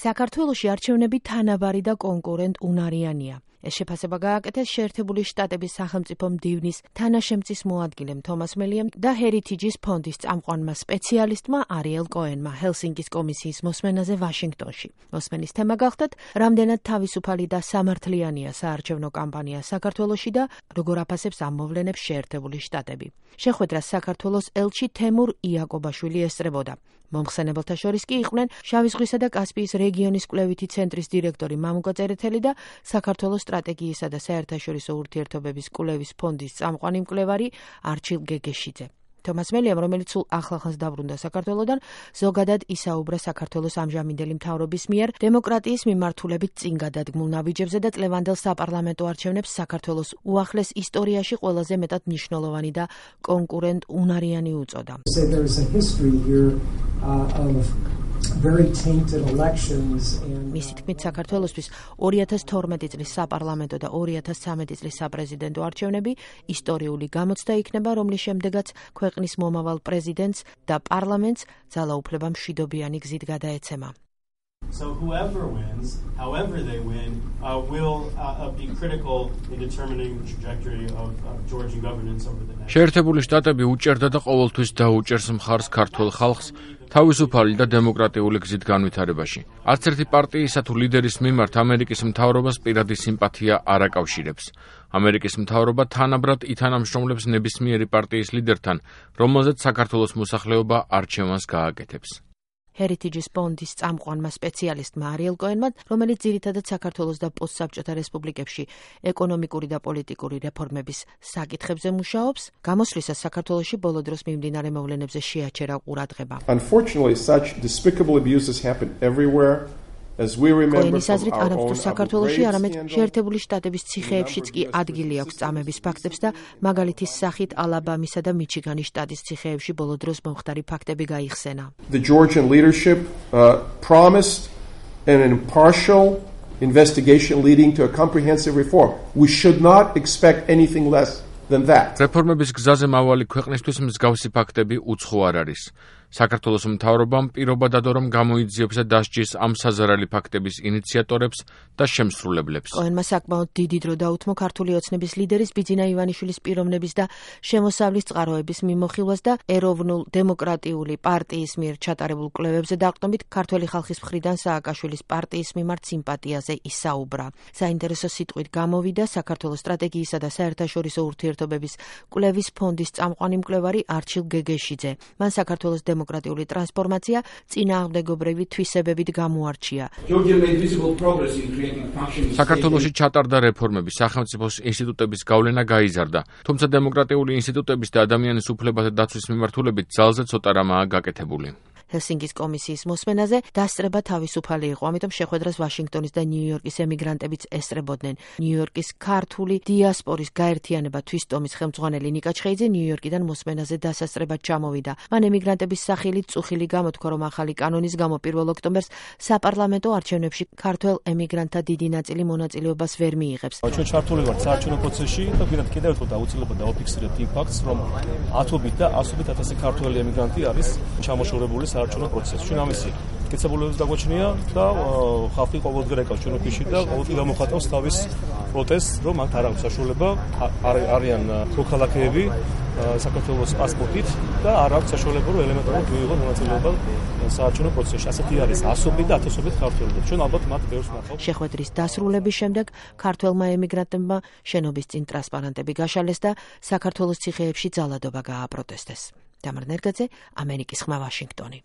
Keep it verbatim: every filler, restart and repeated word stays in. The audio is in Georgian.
საქართველოში არჩევნები თანაბარი და კონკურენტ უნარიანია. ეს შეფასება გააკეთეს შეერთებული შტატების სახელმწიფო მდივნის თანაშემწის მოადგილემ თომას მელიამ და ჰერითიჯის ფონდის წამყვანმა სპეციალისტმა არიელ კოენმა ჰელსინკის კომისიის მოსმენაზე ვაშინგტონში. მოსმენის თემა გახდათ, რამდენად თავისუფალი და სამართლიანია საარჩევნო კამპანია საქართველოში და როგორ აფასებს ამ მოვლენებს შეერთებული შტატები. შეხვედრას საქართველოს ელჩი თემურ იაკობაშვილი ესწრებოდა. მომხსენებელთა შორის კი იყვნენ შავი ზღვისა და კასპიის რეგიონის კვლევითი ცენტრის დირექტორი მამუკა წერეთელი და საქართველოს სტრატეგიისა და საერთაშორისო ურთიერთობების კვლევის ფონდის წამყვანი მკვლევარი არჩილ გეგეშიძე. თომას მელიამ, რომელიც სულ ახლახანს დაბრუნდა საქართველოდან, ზოგადად ისაუბრა საქართველოს ამჟამინდელი მთავრობის მიერ დემოკრატიის მიმართულებით წინ გადადგმულ ნაბიჯებზე და წლევანდელ საპარლამენტო არჩევნებს საქართველოს უახლეს ისტორიაში ყველაზე მეტად მნიშვნელოვანი და კონკურენტ უნარიანი უწოდა. მისი თქმით, საქართველოსთვის ორი ათას თორმეტი წლის საპარლამენტო და ორი ათას ცხრამეტი წლის საპრეზიდენტო არჩევნები ისტორიული გამოცდა იქნება, რომლის შემდეგაც ქვეყნის მომავალ პრეზიდენტს და პარლამენტს ძალაუფლება მშვიდობიანი გზით გადაეცემა. So whoever wins, however they win, uh, will uh, be critical in determining the trajectory of uh, Georgian governance over the next. შეერთებული შტატები უჭერდა და ყოველთვის დაუჭერს მხარს ქართულ ხალხს თავისუფალი და დემოკრატიული გზით განვითარებაში. არც ერთი პარტიისა თუ ლიდერის მიმართ ამერიკის მთავრობას პირადი სიმპათია არ აკავშირებს. ამერიკის მთავრობა თანაბრად ითანამშრომლებს ნებისმიერი პარტიის ლიდერთან, რომელზეც საქართველოს მოსახლეობა არჩევანს გააკეთებს. ჰერითიჯის ფონდის წამყვანმა სპეციალისტმა არიელ კოენმა, რომელიც ძირითადად საქართველოს და პოსტსაბჭოთა რესპუბლიკებში ეკონომიკური და პოლიტიკური რეფორმების საკითხებზე მუშაობს, გამოსვლისას საქართველოში ბოლო დროს მიმდინარე მოვლენებზე შეაჩერა ყურადღება. Unfortunately, such despicable abuses happen everywhere. კოენის აზრით, არა მხოლოდ საქართველოში, არამედ შეერთებული შტატების ციხეებშიც კი ადგილი აქვს წამების ფაქტებს და მაგალითის სახით ალაბამისა და მიჩიგანის შტატის ციხეებში ბოლო დროს მომხდარი ფაქტები გაიხსენა. The Georgian leadership uh, promised an impartial investigation leading to a comprehensive reform. We should not expect anything less than that. რეფორმების გზაზე მავალი ქვეყნისთვის მსგავსი ფაქტები უცხო არ არის. საქართველოს მთავრობამ პირობა დადო, რომ გამოიძიებს და დასჯის ამ საზარალი ფაქტების ინიციატორებს და შემსრულებლებს. კოენმა საკმაოდ დიდი დრო დაუთმო ქართული ოცნების ლიდერის ბიძინა ივანიშვილის პიროვნების და შემოსავლის წყაროების მიმოხილვას და ეროვნულ დემოკრატიული პარტიის მიერ ჩატარებულ კვლევებზე დაყრდნობით ქართველი ხალხის მხრიდან სააკაშვილის პარტიის მიმართ სიმპათიაზე ისაუბრა. საინტერესო სიტყვით გამოვიდა საქართველოს სტრატეგიისა და საერთაშორისო ურთიერთობების კვლევის ფონდის წამყვანი მკვლევარი არჩილ გეგეშიძე. მან საქართველოს დემოკრატიული ტრანსფორმაცია წინააღმდეგობრივი თვისებებით გამოარჩია. საქართველოში ჩატარდა რეფორმები, სახელმწიფოს ინსტიტუტების გავლენა გაიზარდა, თუმცა დემოკრატიული ინსტიტუტების და ადამიანის უფლებათა დაცვის მიმართულებით ძალზე ცოტა რამაა გაკეთებული. ჰელსინკის კომისიის მოსმენაზე დასწრება თავისუფალი იყო, ამიტომ შეხვედრას ვაშინგტონის და ნიუ-იორკის ემიგრანტებიც ესწრებოდნენ. ნიუ-იორკის ქართული დიასპორის გაერთიანება თვისტომის ხელმძღვანელი ნიკა ჩხეიძე ნიუ-იორკიდან მოსმენაზე დასასწრებად ჩამოვიდა. მან ემიგრანტების სახილით წუხილი გამოთქვა, რომ ახალი კანონის გამო პირველ ოქტომბერს საპარლამენტო არჩევნებში ქართველ ემიგრანტთა დიდი ნაწილი მონაწილეობას ვერ მიიღებს. ჩვენ ჩართული ვართ საარჩევნო პროცესში და ვიღოთ კიდევ ერთხელ დაუცილებლად დავაფიქსირებთ იმ ფაქტს, რომ ათობით და ასობით ათასი ქართველი ემიგრანტი არის ჩამოშორებული საარჩევნო პროცესში. ჩვენ ამისი კეთებულებებს დაგვაჩნია და ხალხი ყოველდღე ეკავს ჩვენ ოფისში და ყოველდღე გამოხატავს თავის პროტესტს, რომ მათ არ აქვს საშუალება, არიან მოქალაქეები საქართველოს პასპორტით და არ აქვს საშუალება, რომ ელემენტარულად მიიღონ მონაწილეობა საარჩევნო პროცესში. ასეთი არის ასობით და ათასობით ქართველი. ჩვენ ალბათ მათ ბევრს ნახავთ. შეხვედრის დასრულების შემდეგ ქართველმა ემიგრანტებმა შენობის წინ ტრანსპარანტები გაშალეს და საქართველოს ციხეებში ძალადობა გააპროტესტეს. დამარ ნერგაძე, ამერიკის ხმა, ვაშინგტონი.